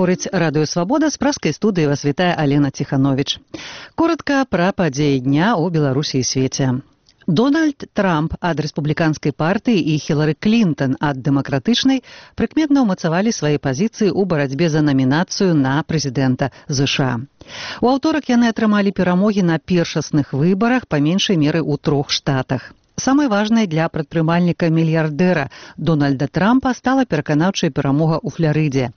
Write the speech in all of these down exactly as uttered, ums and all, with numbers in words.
гаворыць Радыё Свабода, з праскай студыі вас вітае Алена Ціхановіч. Коротка пра падзеі дня ў Беларусі і свеце. Дональд Трамп ад рэспубліканскай партыі і Хілары Клінтон ад дэмакратычнай прыкметна ўмацавалі свае пазіцыі ў барацьбе за намінацыю на прэзідэнта ЗША. У аўторак яны атрымалі перамогі на першасных выбарах па меншай меры ў трох штатах. Самай важнай для прадпрымальніка-мільярдэра Дональда Трампа стала пераканаўчая перамога ў Фларыдзе.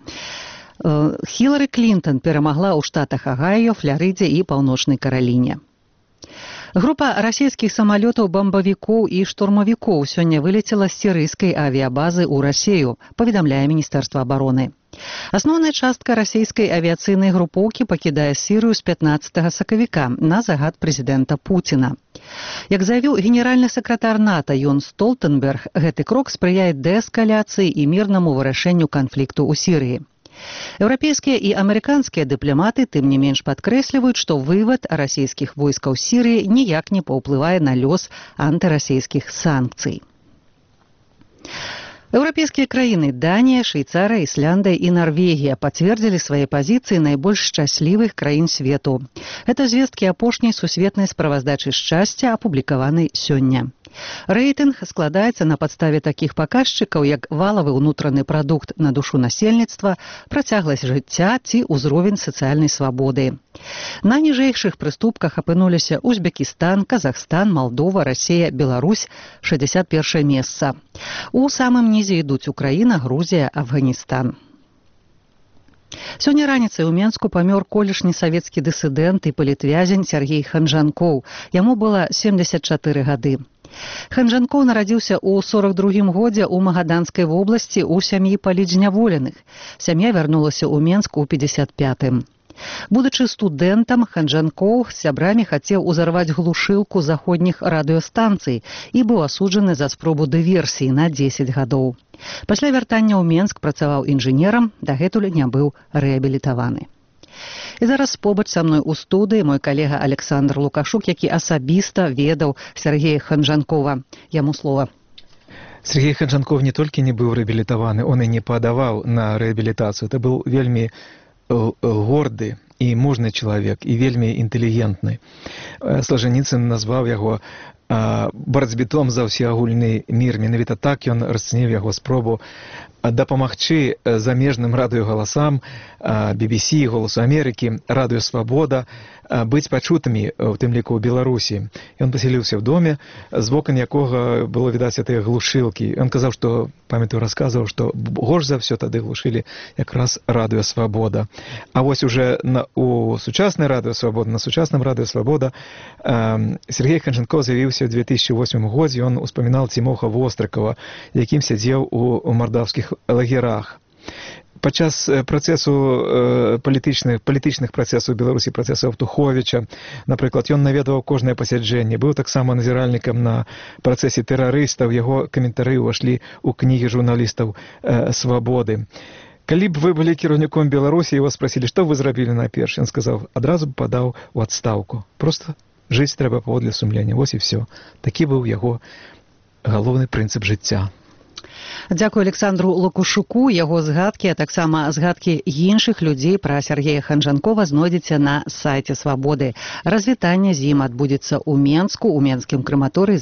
Хілары Клінтон перамагла ў штатах Агайо, Фларыдзе і Паўночнай Караліне. Група расійскіх самалётаў-бамбавікоў і штурмавікоў сёння вылецела з сірыйскай авіябазы ў Расею, паведамляе Міністэрства абароны. Асноўная частка расійскай авіяцыйнай групоўкі пакідае Сірыю з пятнаццатага сакавіка на загад прэзідэнта Пуціна. Як заявіў генеральны сакратар НАТО Йон Столтенберг, гэты крок спрыяе дээскаляцыі і мірнаму вырашэнню канфлікту ў Сірыі. Еўрапейскія і амерыканскія дыпламаты тым не менш падкрэсліваюць, што вывад расійскіх войскаў з Сірыі ніяк не паўплывае на лёс антырасійскіх санкцый. Еўрапейскія краіны Данія, Швейцарыя, Ісляндыя і Нарвегія пацвердзілі свае пазіцыі найбольш шчаслівых краін свету. Гэта звесткі апошняй сусветнай справаздачы шчасця, апублікаванай сёння. Рэйтынг складаецца на падставе такіх паказчыкаў, як валавы ўнутраны прадукт на душу насельніцтва, працягласць жыцця ці ўзровень сацыяльнай свабоды. На ніжэйшых прыступках апынуліся Узбекістан, Казахстан, Малдова, Расія, Беларусь, шэсцьдзесят першае месца. У самым нізе ідуць Украіна, Грузія, Афганістан. Сёння раніцай у Менску памёр колішні савецкі дысідэнт і палітвязень Сергей Ханжанкоў. Яму было семдзесят чатыры гады. Ханжанкоў нарадзіўся ў сорак другім годзе ў Магаданскай вобласці ў сям'і палітзняволеных. Сям'я вярнулася ў Менск у пятьдесят пятым. Будучы студэнтам, Ханжанкоў з сябрамі хацеў узарваць глушылку заходніх радыёстанцый і быў асуджаны за спробу дыверсіі на дзесяць гадоў. Пасля вяртання ў Менск працаваў інжынерам, дагэтуль не быў рэабілітаваны. І зараз побач са мной у студыі мой калега Александр Лукашук, які асабіста ведаў Сергея Ханжанкова. Яму слова. Сергей Ханжанков не толькі не быў рэабілітаваны, он і не падаваў на рэабілітацыю. Это быў вельмі горды і мужны чалавек, і вельмі інтэлігентны. Солженіцын назваў яго барацьбітом за ўсеагульны мір. Менавіта так ён расцаніў яго спробу дапамагчы замежным радыёгаласам, би би си, Голасу Амерыкі, Радыё Свабода быць пачутымі, у тым ліку ў Беларусі. Ён пасяліўся ў доме, з вокон якога было відаць гэтыя глушылкі. Ён казаў, што, памятаю, расказваў, што горш за ўсё тады глушылі якраз Радыё Свабода. А вось уже на, у сучаснай Радыё Свабода, на сучасным Радыё Свабода э, Сергей Ханжанков з'явіўся ў две тысячи восьмым годзе. Ён успамінаў Цімоха Вострыкава, якім сядзеў у, у мардаўскіх лагерах. Падчас працэсу э, палітычных, палітычных працэсаў Беларусі, працэсу Аўтуховіча, напрыклад, ён наведваў кожнае пасяджэнне, быў таксама назіральнікам на працэсе тэрарыстаў, яго каментары ўвашлі ў кнігі журналістаў э, «Свабоды». Калі б вы былі кіраўніком Беларусі, его спрасілі, што вы зрабілі найперш, ён сказаў, адразу б падаў у адстаўку. Проста жыць трэба паводле сумлення, вось і ўсё. Такі быў яго галоўны прынцып жыцця. Дзякую Александру Лукашуку. Яго згадкі, а таксама згадкі іншых людзей пра Сергея Ханжанкова знойдзеце на сайце Свабоды. Развітанне з ім адбудзецца ў Менску, у Менскім краматорыі